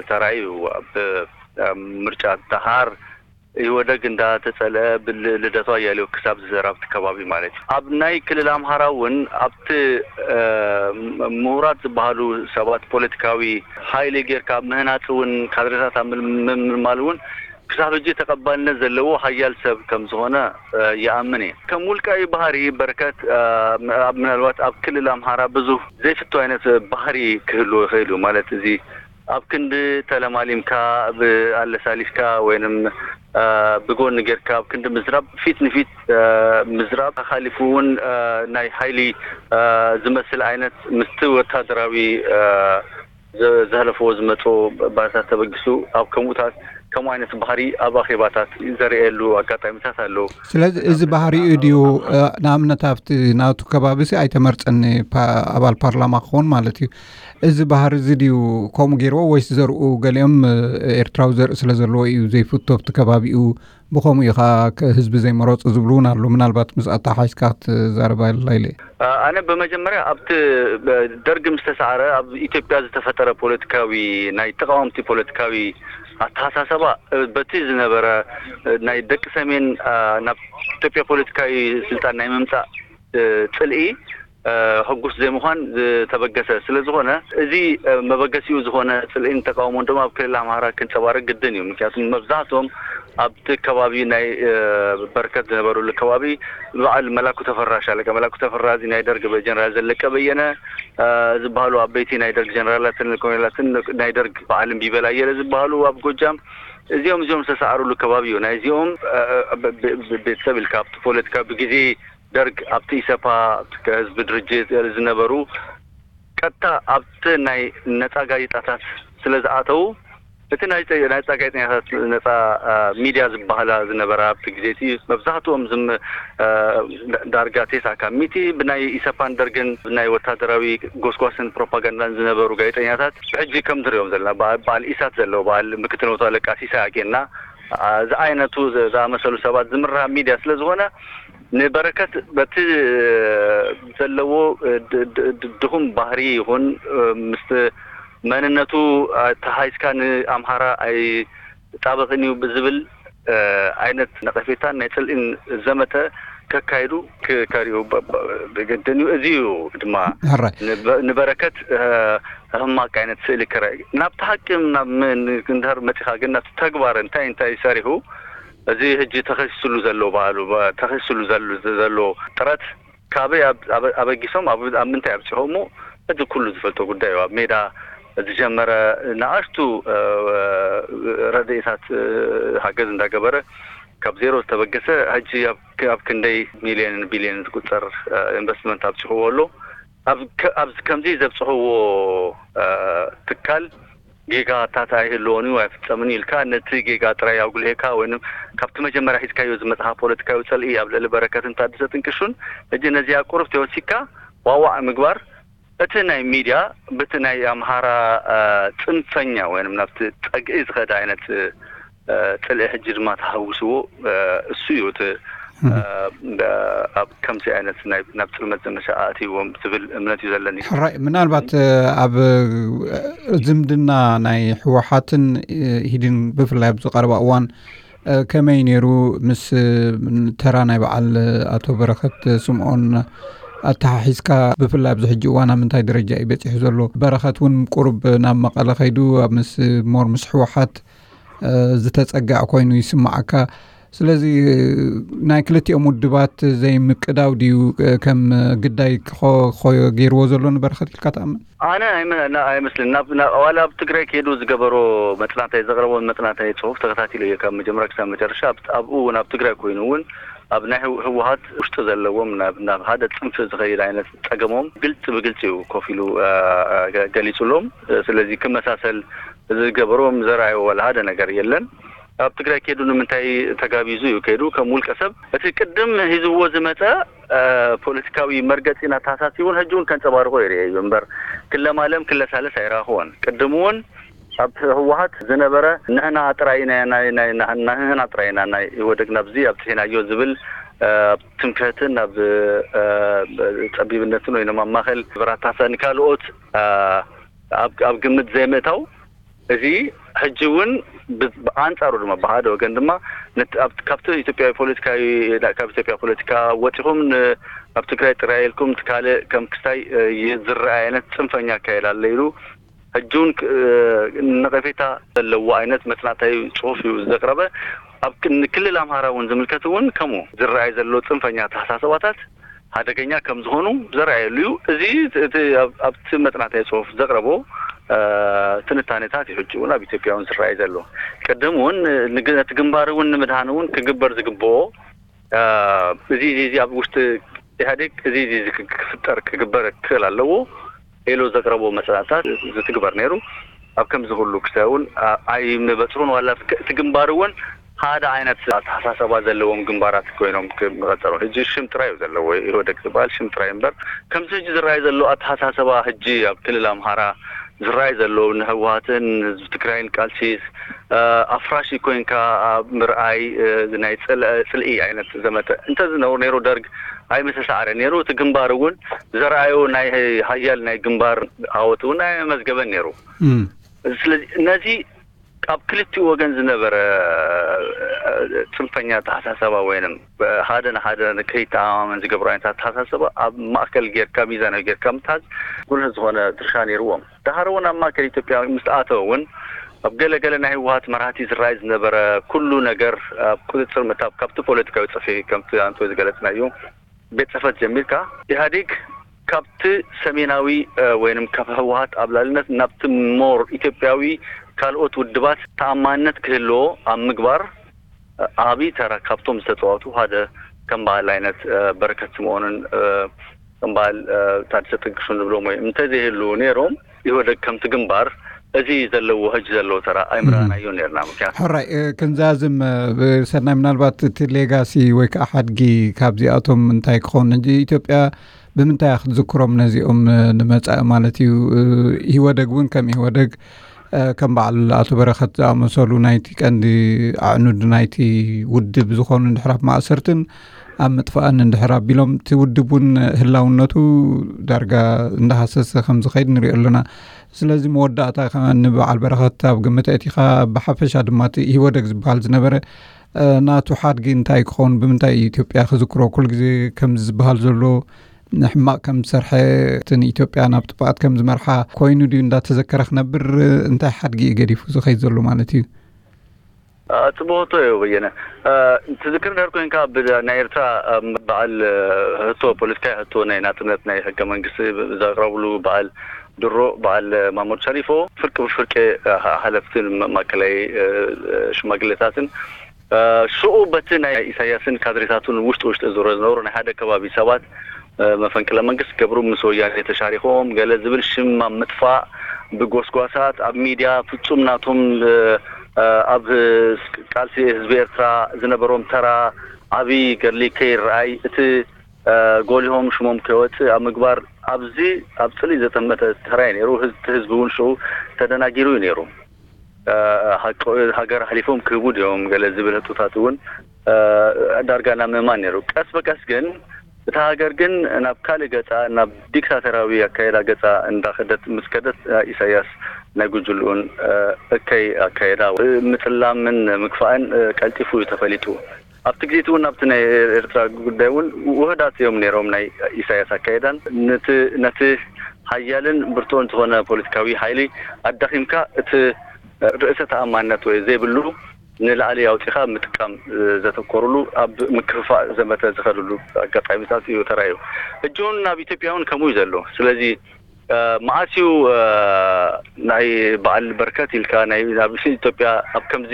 ተራእዩ ኣብ ምርጫ ደሃር ኢህወደግ እንዳተጸልአ ብልደቱ ኣያሌው ክሳብ ዝዘር ኣብቲ ከባቢ ማለት እዩ። ኣብ ናይ ክልል ኣምሃራ እውን ኣብቲ ምሁራት ዝበሃሉ ሰባት ፖለቲካዊ ሓይሊ ጌርካ ኣብ ምህናጽ እውን ካድሬታት ኣብ ምምልማል እውን ክሳብ ሕጂ ተቐባልነት ዘለዎ ሓያል ሰብ ከም ዝኾነ ይኣምን እየ። ከም ውልቃዊ ባህሪ በረከት ምናልባት ኣብ ክልል ኣምሃራ ብዙህ ዘይፍቶ ዓይነት ባህሪ ክህልዎ ይኽእል እዩ ማለት እዚ ኣብ ክንዲ ተለማሊምካ ኣለሳሊስካ ወይንም ብጎኒ ጌርካ ኣብ ክንዲ ምዝራብ ፊት ንፊት ምዝራብ ሓሊፉ እውን ናይ ሓይሊ ዝመስል ዓይነት ምስቲ ወታደራዊ ዘህለፍዎ ዝመፁ ባርታት ተበጊሱ ኣብ ከምኡታት ከምኡ ዓይነት ባህሪ ኣብ ኣኼባታት ዘርእየሉ ኣጋጣሚታት ኣለዉ። ስለዚ እዚ ባህሪኡ ድዩ ንኣብነት ኣብቲ ናቱ ከባቢ ሲ ኣይተመርፀን ኣባል ፓርላማ ክኸውን ማለት እዩ። እዚ ባህሪ እዚ ድዩ ከምኡ ገይርዎ ወይስ ዘርኡ ገሊኦም ኤርትራዊ ዘርኢ ስለ ዘለዎ እዩ ዘይፍቶ ኣብቲ ከባቢኡ ብኸምኡ እዩ ከዓ ህዝቢ ዘይመረፁ ዝብሉ እውን ኣሎ። ምናልባት ምስ ኣተሓሒዝካ ክትዛረባ ኢለ። ኣነ ብመጀመርያ ኣብቲ ደርግ ምስ ተሰዓረ ኣብ ኢትዮጵያ ዝተፈጠረ ፖለቲካዊ ናይ ተቃወምቲ ፖለቲካዊ ኣተሓሳሰባ በቲ ዝነበረ ናይ ደቂ ሰሜን ናብ ኢትዮጵያ ፖለቲካዊ ስልጣን ናይ ምምፃእ ፅልኢ ሕጉስ ዘይምዃን ዝተበገሰ ስለ ዝኾነ እዚ መበገሲኡ ዝኾነ ፅልኢን ተቃውሞን ድማ ኣብ ክልል ኣምሃራ ክንፀባረቅ ግድን እዩ። ምክንያቱ መብዛሕትኦም ኣብቲ ከባቢ ናይ በርከት ዝነበሩሉ ከባቢ በዓል መላኩ ተፈራ ሻለቃ መላኩ ተፈራ እዚ ናይ ደርግ ጀነራል ዘለቀ በየነ ዝበሃሉ ዓበይቲ ናይ ደርግ ጀነራላትን ኮሎኔላትን ናይ ደርግ በዓል እምቢበል ኣየለ ዝበሃሉ ኣብ ጎጃም እዚኦም እዚኦም ዝተሰዓሩሉ ከባቢ እዩ። ናይ እዚኦም ቤተሰብ ኢልካ ኣብቲ ፖለቲካ ብግዜ ደርግ ኣብቲ ኢሰፓ ህዝቢ ድርጅት ዝነበሩ ቀጥታ ኣብቲ ናይ ነፃ ጋዜጣታት ስለ ዝኣተዉ እቲ ናይ ነፃ ጋዜጠኛታት ነፃ ሚድያ ዝበሃላ ዝነበራ ኣብቲ ግዜ እቲ መብዛሕትኦም ዝም ዳርጋ ቴሳ ካብ ሚቲ ብናይ ኢሰፓን ደርግን ብናይ ወታደራዊ ጎስጓስን ፕሮፓጋንዳን ዝነበሩ ጋዜጠኛታት ብሕጂ ከም ንሪኦም ዘለና በዓል ኢሳት ዘለዉ በዓል ምክትል መቶ ኣለቃ ሲሳይ ኣኬና ዝዓይነቱ ዝኣመሰሉ ሰባት ዝምራሕ ሚድያ ስለ ዝኾነ ንበረከት በቲ ዘለዎ ድኹም ባህሪ ይኹን ምስ መንነቱ ተሓይዝካ ንኣምሓራ ኣይጣበቕን እዩ ብዝብል ዓይነት ነቐፌታን ናይ ፅልኢን ዘመተ ከካይዱ ክከሪኡ ብግድን እዩ። እዚ እዩ ድማ ንበረከት ሕማቅ ዓይነት ስእሊ ክረእ። ናብቲ ሓቂ ናብ እንድሕር መፂኻ ግን ናብቲ ተግባር እንታይ እንታይ ሰሪሑ፣ እዚ ሕጂ ተኸሲስሉ ዘሎ ባህሉ ተኸሲስሉ ዘሎ ጥረት ካበይ ኣበጊሶም ኣብ ምንታይ ኣብፅሖ እሞ ሕጂ ኩሉ ዝፈልጦ ጉዳይ እዩ። ኣብ ሜዳ ዝጀመረ ንኣሽቱ ረድኤታት ሓገዝ እንዳገበረ ካብ ዜሮ ዝተበገሰ ሕጂ ኣብ ክንደይ ሚልዮንን ቢልዮንን ዝቁፀር ኢንቨስትመንት ኣብፅሕዎ ኣሎ። ኣብዚ ከምዚ ዘብፅሕዎ ትካል ጌጋታት ኣይህልዎን እዩ ኣይፍፀምን ኢልካ ነቲ ጌጋ ጥራይ ኣጉልሄካ ወይም ካብቲ መጀመርያ ሒዝካዮ ዝመፅኻ ፖለቲካዊ ፅልኢ ኣብ ልዕሊ በረከትን ታደሰ ጥንቅሹን ሕጂ ነዚኣ ቁሩብ ተወሲካ ዋዋዕ ምግባር እቲ ናይ ሚድያ በቲ ናይ ኣምሃራ ፅንፈኛ ወይም ናብቲ ፀግዒ ዝኸደ ዓይነት ፅልኢ ሕጂ ድማ ተሃውስዎ እሱ እዩ እቲ ኣብ ከምዚ ዓይነት ናብ ጥልመት ዘመቻ ኣእትይዎም ዝብል እምነት እዩ ዘለኒ። ሕራይ ምናልባት ኣብ ዝምድና ናይ ህወሓትን ኢህዴን ብፍላይ ኣብዚ ቀረባ እዋን ከመይ ነይሩ ምስ ተራ ናይ በዓል ኣቶ በረኸት ስምኦን ኣተሓሒዝካ ብፍላይ ኣብዚ ሕጂ እዋን ኣብ ምንታይ ደረጃ እዩ በፂሑ ዘሎ? በረኸት እውን ቁሩብ ናብ መቐለ ከይዱ ኣብ ምስ ሞር ምስ ህወሓት ዝተፀግዐ ኮይኑ ይስማዓካ። ስለዚ ናይ ክልቲኦም ውድባት ዘይምቅዳው ድዩ ከም ግዳይ ገይርዎ ዘሎ ንበረኸት ኢልካ ትኣምን? ኣነ ኣይመስልን። ዋላ ኣብ ትግራይ ከይዱ ዝገበሮ መፅናዕታይ ዘቕረቦ መፅናዕታይ ፅሑፍ ተኸታቲለ እየ ካብ መጀመርያ ክሳብ መጨረሻ። ኣብኡ እውን ኣብ ትግራይ ኮይኑ እውን ኣብ ናይ ህወሓት ውሽጢ ዘለዎም ናብ ሓደ ፅንፊ ዝኸይድ ዓይነት ፀገሞም ግልፂ ብግልፂ እዩ ኮፍ ኢሉ ገሊፁሎም። ስለዚ ክመሳሰል ዝገበሮ ዘርኣዮ ዋላ ሓደ ነገር የለን። ኣብ ትግራይ ከይዱ ንምንታይ ተጋቢዙ እዩ ከይዱ ከም ውልቀ ሰብ እቲ ቅድም ሂዝዎ ዝመፀ ፖለቲካዊ መርገፂን ኣተሓሳስባን እውን ሕጂ እውን ከንፀባርቆ ይርኤ እዩ እምበር ክለማለም ክለሳለስ ኣይረኣኽዎን። ቅድም እውን ኣብ ህወሓት ዝነበረ ንሕና ጥራይ ኢና ናይ ናይ ንሕና ጥራይ ኢና ናይ ኢህወደግ ናብዚ ኣብፅሒናዮ ዝብል ትምክሕትን ናብ ፀቢብነትን ወይም ኣብ ማእከል በራታታ ንካልኦት ኣብ ግምት ዘይምእታው እዚ ሕጂ እውን ብኣንፃሩ ድማ ብሓደ ወገን ድማ ካብቲ ኢትዮጵያዊ ፖለቲካዊ ካብ ኢትዮጵያ ፖለቲካ ወፂኹም ኣብ ትግራይ ጥራይ ኢልኩም ካልእ ከም ክስታይ ዝረኣይ ዓይነት ፅንፈኛ ኣካየዳ ኣሎ ኢሉ ሕጂ እውን ነቐፌታ ዘለዎ ዓይነት መፅናዕታዊ ፅሑፍ እዩ ዘቕረበ። ኣብ ክልል ኣምሃራ እውን ዝምልከት እውን ከምኡ ዝረኣይ ዘሎ ፅንፈኛ ኣተሓሳስባታት ሓደገኛ ከም ዝኾኑ ዘርኣየሉ እዩ። እዚ ኣብቲ መፅናዕታዊ ፅሑፍ ዘቕረቦ ትንታኔታት እዩ ሕጂ እውን ኣብ ኢትዮጵያ እውን ዝረኣይ ዘሎ። ቅድም እውን ነቲ ግንባር እውን ንምድሃን እውን ክግበር ዝግብኦ እዚ እዚ ኣብ ውሽጢ ኢህኣዴግ እዚ እዚ ክፍጠር ክግበር ክኽእል ኣለዎ ኢሉ ዘቕረቦ መፅናዕታት ዝትግበር ነይሩ። ኣብ ከምዚ ኩሉ ክሳይ እውን ኣይምበፅሑን ዋላ እቲ ግንባር እውን ሓደ ዓይነት ኣተሓሳሰባ ዘለዎም ግንባራት ኮይኖም ክቐፀሩ ሕጂ ሽም ጥራይ እዩ ዘለዎ። ኢህወደግ ዝበሃል ሽም ጥራይ እምበር ከምዚ ሕጂ ዝረኣይ ዘሎ ኣተሓሳሰባ ሕጂ ኣብ ክልል ኣምሃራ ዝረኣይ ዘሎ ንህወሓትን ህዝቢ ትግራይን ቃልሲ ኣፍራሽ ኮይንካ ኣብ ምርኣይ ናይ ፅልኢ ዓይነት ዘመተ እንተዝነብር ነይሩ ደርግ ኣይምተሳዕረ ነይሩ። እቲ ግንባር እውን ዘርኣዮ ናይ ሓያል ናይ ግንባር ዓወት እውን ኣየመዝገበን ነይሩ። ስለዚ ነዚ ኣብ ክልቲኡ ወገን ዝነበረ ፅንፈኛ ኣተሓሳሰባ ወይንም ሓደ ንሓደ ከይተኣማመን ዝገብሩ ዓይነት ኣተሓሳሰባ ኣብ ማእከል ጌርካ ሚዛናዊ ጌርካ ምትሓዝ ጉልህ ዝኾነ ድርሻ ነይርዎም። ደሓር እውን ኣብ ማእከል ኢትዮጵያ ምስ ኣተወ እውን ኣብ ገለ ገለ ናይ ህወሓት መራሕቲ ዝረኣይ ዝነበረ ኩሉ ነገር ኣብ ቁፅፅር ምእታው ካብቲ ፖለቲካዊ ፅፍሒ ከምቲ ኣንቶ ዝገለፅናዮ ቤት ፅሕፈት ጀሚርካ ኢህኣዴግ ካብቲ ሰሜናዊ ወይም ካብ ህወሓት ኣብ ላዕልነት ናብቲ ሞር ኢትዮጵያዊ ካልኦት ውድባት ተኣማንነት ክህልዎ ኣብ ምግባር ዓቢ ተራ ካብቶም ዝተፃወቱ ሓደ ከም በዓል ዓይነት በረከት ስምኦንን ከም በዓል ታደሰ ጥንቅሹን ንብሎም ወይ እንተዘይህልዉ ነይሮም ኢህወደግ ከምቲ ግንባር እዚ ዘለዎ ሕጂ ዘለዎ ተራ ኣይምረኣናዮ ነርና። ምክንያቱ ሕራይ ክንዛዝም ብሰናይ ምናልባት እቲ ሌጋሲ ወይ ከዓ ሓድጊ ካብዚኣቶም እንታይ ክኸውን ሕጂ ኢትዮጵያ ብምንታይ ክትዝክሮም ነዚኦም ንመፃኢ ማለት እዩ። ኢህወደግ እውን ከም ኢህወደግ ከም በዓል ኣቶ በረኸት ዝኣመሰሉ ናይቲ ቀንዲ ኣዕኑድ ናይቲ ውድብ ዝኾኑ እንድሕር ኣብ ማእሰርትን ኣብ ምጥፋእን እንድሕር ኣቢሎም እቲ ውድብ እውን ህላውነቱ ዳርጋ እንዳሃሰሰ ከም ዝኸይድ ንሪኦ ኣለና። ስለዚ መወዳእታ ንበዓል በረኸት ኣብ ግምት ኣእቲኻ ብሓፈሻ ድማ እቲ ኢህወደግ ዝበሃል ዝነበረ ናቱ ሓድጊ እንታይ ክኸውን፣ ብምንታይ ኢትዮጵያ ክዝክሮ? ኩሉ ግዜ ከም ዝበሃል ዘሎ ሕማቕ ከም ዝሰርሐ፣ ንኢትዮጵያ ናብ ጥፍኣት ከም ዝመርሓ ኮይኑ ድዩ እንዳተዘከረ ክነብር? እንታይ ሓድጊ እዩ ገዲፉ ዝኸይድ ዘሎ ማለት እዩ? ጽቡቅ ሕቶ እዩ በየነ። ትዝክር እንድሕር ኮይንካ፣ ናይ ኤርትራ በዓል ሕቶ፣ ፖለቲካዊ ሕቶ ናይ ናጽነት ናይ ሕገ መንግስቲ ዘቅረብሉ በዓል ድሮ በዓል ማሞድ ሸሪፎ፣ ፍርቂ ብፍርቂ ሓለፍትን ማእከላይ ሽማግሌታትን ሽኡ በቲ ናይ ኢሳያስን ካድሬታቱን ውሽጢ ውሽጢ ዝረ ዝነበሩ ናይ ሓደ ከባቢ ሰባት መፈንቅለ መንግስት ገብሩ ምስ ወያኔ ተሻሪኾም ገለ ዝብል ሽም ኣብ ምጥፋእ ብጎስጓሳት ኣብ ሚድያ ፍጹም ናቶም ኣብ ቃልሲ ህዝቢ ኤርትራ ዝነበሮም ተራ ዓቢ ገድሊ ከይረኣይ እቲ ጎሊሆም ሽሞም ከይወፅእ ኣብ ምግባር ኣብዚ ኣብ ፅልኢ ዘጠመተ ተራይ ነይሩ። ህዝቢ እውን ሽኡ ተደናጊሩ እዩ ነይሩ። ሃገር ኣሕሊፎም ክህቡ ድዮም ገለ ዝብል ህጡታት እውን ዳርጋ ናብ ምእማን ነይሩ። ቀስ በቀስ ግን እታ ሃገር ግን ናብ ካልእ ገፃ፣ ናብ ዲክታተራዊ ኣካየዳ ገፃ እንዳኸደት ምስ ከደት ኢሳያስ ናይ ጉጅልኡን እከይ ኣካየዳ ምፅላምን ምግፋእን ቀልጢፉ እዩ ተፈሊጡ። ኣብቲ ግዜ እውን ኣብቲ ናይ ኤርትራ ጉዳይ እውን ውህዳት እዮም ነይሮም ናይ ኢሳያስ ኣካየዳን። ነቲ ሓያልን ብርቱዕን ዝኾነ ፖለቲካዊ ሓይሊ ኣዳኺምካ እቲ ርእሰ ተኣማንነት ወይ ዘይብሉ ንላዕሊ ኣውፂኻ ምጥቃም ዘተኮሩሉ ኣብ ምክፍፋእ ዘመተ ዝኸድሉ ኣጋጣሚታት እዩ ተራእዩ። ሕጂ እውን ኣብ ኢትዮጵያ እውን ከምኡ እዩ ዘሎ። ስለዚ መዓስ እዩ ናይ በዓል በርከት ኢልካ ናይ ናብ ኢትዮጵያ ኣብ ከምዚ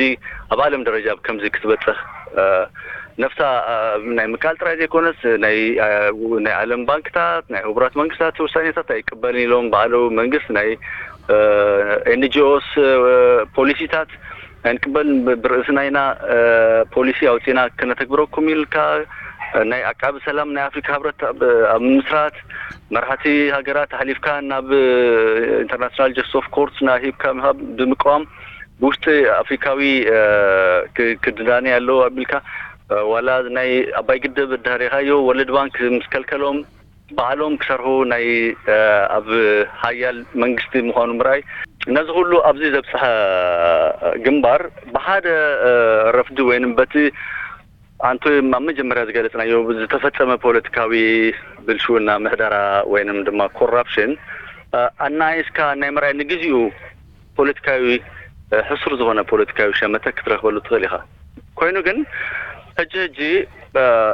ኣብ ዓለም ደረጃ ኣብ ከምዚ ክትበፅሕ ነፍሳ ናይ ምካል ጥራይ ዘይኮነስ ናይ ናይ ዓለም ባንክታት ናይ ህቡራት መንግስታት ውሳኔታት ኣይቅበልን ኢሎም ባዕሉ መንግስት ናይ ኤንጂኦስ ፖሊሲታት ኣይንቅበልን ብርእስና ኢና ፖሊሲ ኣውፂና ክነተግብረኩም ኢልካ ናይ ዓቃቢ ሰላም ናይ ኣፍሪካ ህብረት ኣብ ምስራት መራሕቲ ሃገራት ኣሕሊፍካ ናብ ኢንተርናሽናል ጀስቲስ ኦፍ ኮርት ና ሂብካ ምሃብ ብምቅዋም ብውሽጢ ኣፍሪካዊ ክድናነ ኣለዎ ኣቢልካ ዋላ ናይ ኣባይ ግድብ እዳሪኻዮ ወርልድ ባንክ ምስ ከልከሎም ባዕሎም ክሰርሑ ናይ ኣብ ሃያል መንግስቲ ምዃኑ ምርኣይ ነዚ ኩሉ ኣብዚ ዘብፅሐ ግንባር ብሓደ ረፍዲ ወይንም በቲ ኣንቶ ኣብ መጀመርያ ዝገለፅናዮ ዝተፈፀመ ፖለቲካዊ ብልሽውና ምሕደራ ወይንም ድማ ኮራፕሽን ኣናይስካ ናይ ምርኣይ ንግዚኡ ፖለቲካዊ ሕሱር ዝኾነ ፖለቲካዊ ሸመተ ክትረክበሉ ትኽእል ኢኻ። ኮይኑ ግን ሕጂ ሕጂ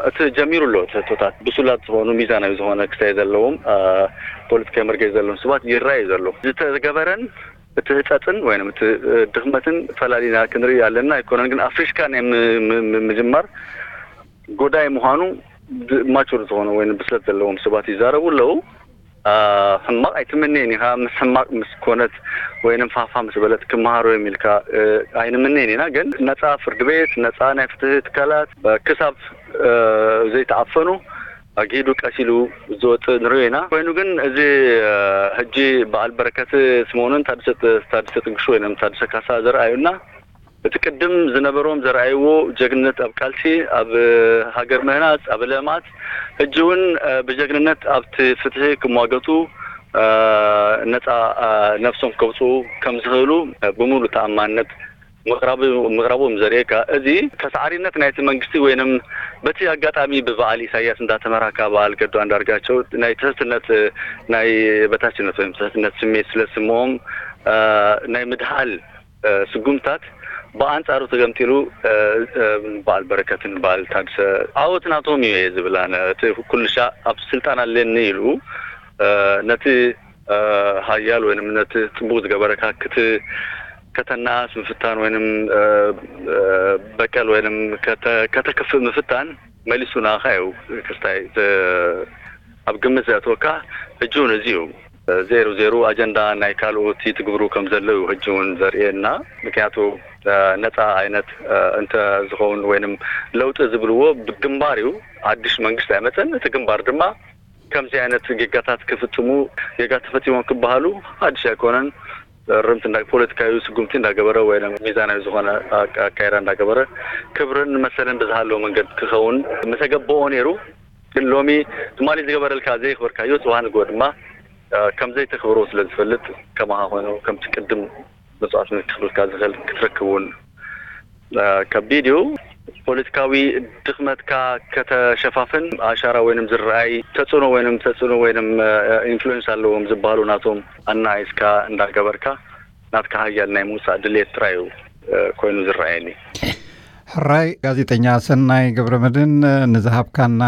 እቲ ጀሚሩ ኣሎ እቲ ሕቶታት ብሱላት ዝኾኑ ሚዛናዊ ዝኾነ ክስታይ ዘለዎም ፖለቲካዊ መርገፂ ዘለዎም ሰባት ይረኣዩ ዘሎ ዝተገበረን እቲ ህፀፅን ወይም እቲ ድኽመትን ፈላሊና ክንርኢ ኣለና ኣይኮነን ግን ኣፍሪሽካ ናይ ምጅማር ጎዳይ ምዃኑ ማቹር ዝኾኑ ወይ ብስለት ዘለዎም ሰባት ይዛረቡ ኣለዉ። ሕማቕ ኣይትምነየን ኢኻ ምስ ሕማቕ ምስ ኮነት ወይንም ፋፋ ምስ በለት ክመሃሩ እዮም ኢልካ ኣይንምነየን ኢና ግን ነፃ ፍርዲ ቤት ነፃ ናይ ፍትሒ ትካላት ክሳብ ዘይተዓፈኑ ኣግሂዱ ቀስ ኢሉ ዝወፅእ ንሪኦ ኢና ኮይኑ ግን እዚ ሕጂ በዓል በረከት ስምኦንን ታደሰ ጥንቅሹ ወይም ታደሰ ካሳ ዘርኣዩና እቲ ቅድም ዝነበሮም ዘርኣይዎ ጀግንነት ኣብ ቃልሲ ኣብ ሃገር ምህናፅ ኣብ ለማት ሕጂ እውን ብጀግንነት ኣብቲ ፍትሒ ክሟገቱ ነፃ ነፍሶም ከውፅኡ ከም ዝኽእሉ ብምሉእ ተኣማንነት ምቕራቦም ዘርእየካ እዚ ተሳዓሪነት ናይቲ መንግስቲ ወይንም በቲ ኣጋጣሚ ብበዓል ኢሳያስ እንዳተመራካ በዓል ገዱ ኣንዳርጋቸው ናይ ትሕትነት ናይ በታችነት ወይም ትሕትነት ስሜት ስለ ዝስምኦም ናይ ምድሃል ስጉምታት ብኣንፃሩ ተገምጢሉ በዓል በረከትን በዓል ታድሰ ዓወት ናቶም እዩ እየ ዝብል ኣነ እቲ ኩልሻ ኣብ ስልጣን ኣለኒ ኢሉ ነቲ ሃያል ወይም ነቲ ፅቡቅ ዝገበረካ ክት ከተናኣስ ምፍታን ወይም በቀል ወይም ከተክፍእ ምፍታን መሊሱ ናኻ እዩ ክስታይ ኣብ ግምት ዘእትወካ ሕጂ እውን እዚ እዩ ዜሩ ዜሩ ኣጀንዳ ናይ ካልኦት ትግብሩ ከም ዘለዉ ሕጂ እውን ዘርእየና ምክንያቱ ነፃ ዓይነት እንተ ዝኸውን ወይም ለውጢ ዝብልዎ ግንባር እዩ ሓድሽ መንግስቲ ኣይመፀን እቲ ግንባር ድማ ከምዚ ዓይነት ጌጋታት ክፍፅሙ ጌጋ ተፈፂሞም ክበሃሉ ሓድሽ ኣይኮነን ርምቲ ፖለቲካዊ ስጉምቲ እንዳገበረ ወይ ሚዛናዊ ዝኾነ ኣካይዳ እንዳገበረ ክብርን መሰልን ብዝሃለዎ መንገዲ ክኸውን ምተገበኦ ነይሩ ግን ሎሚ ትማሊ ዝገበረልካ ዘይክበርካዮ ፅባሕ ንግሆ ድማ ከም ዘይተክብሮ ስለ ዝፈልጥ ከማኻ ኮይኑ ከምቲ ቅድም መስዋዕትነት ክኽፍልካ ዝኽእል ክትረክብ እውን ከቢድ እዩ። ፖለቲካዊ ድኽመትካ ከተሸፋፍን ኣሻራ ወይንም ዝረኣይ ተጽዕኖ ወይንም ተጽዕኖ ወይንም ኢንፍሉዌንስ ኣለዎም ዝበሃሉ ናቶም ኣናኣይስካ እንዳገበርካ ናትካ ሃያል ናይ ምውሳእ ድሌት ጥራይ እዩ ኮይኑ ዝረኣየኒ። ሕራይ ጋዜጠኛ ሰናይ ገብረመድህን፣ ንዝሃብካና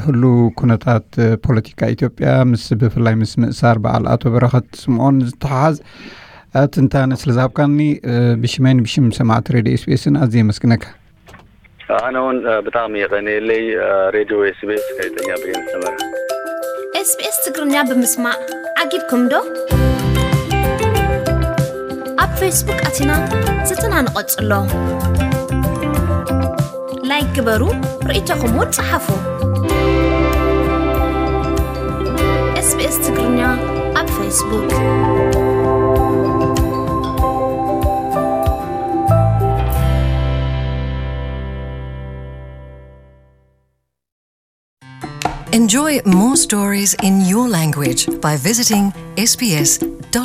ህሉ ኩነታት ፖለቲካ ኢትዮጵያ ምስ ብፍላይ ምስ ምእሳር በዓል ኣቶ በረኸት ስምኦን ዝተሓሓዝ ትንታነ ስለ ዝሃብካኒ ብሽመይን ብሽም ሰማዕቲ ሬድዮ ኤስቢኤስን ኣዝየ የመስግነካ። ኣነ እውን ብጣዕሚ የቐንየለይ። ሬድዮ ኤስቢኤስ፣ ጋዜጠኛ ብሬን ሰመረ። ኤስቢኤስ ትግርኛ ብምስማዕ ዓጊብኩም ዶ? ኣብ ፌስቡክ ኣቲና ዝትና ንቐጽሎ። ላይክ ግበሩ፣ ርእይቶኹም እውን ጸሓፉ። ኤስቢኤስ ትግርኛ ኣብ ፌስቡክ። Enjoy more stories in your language by visiting sbs.com.au.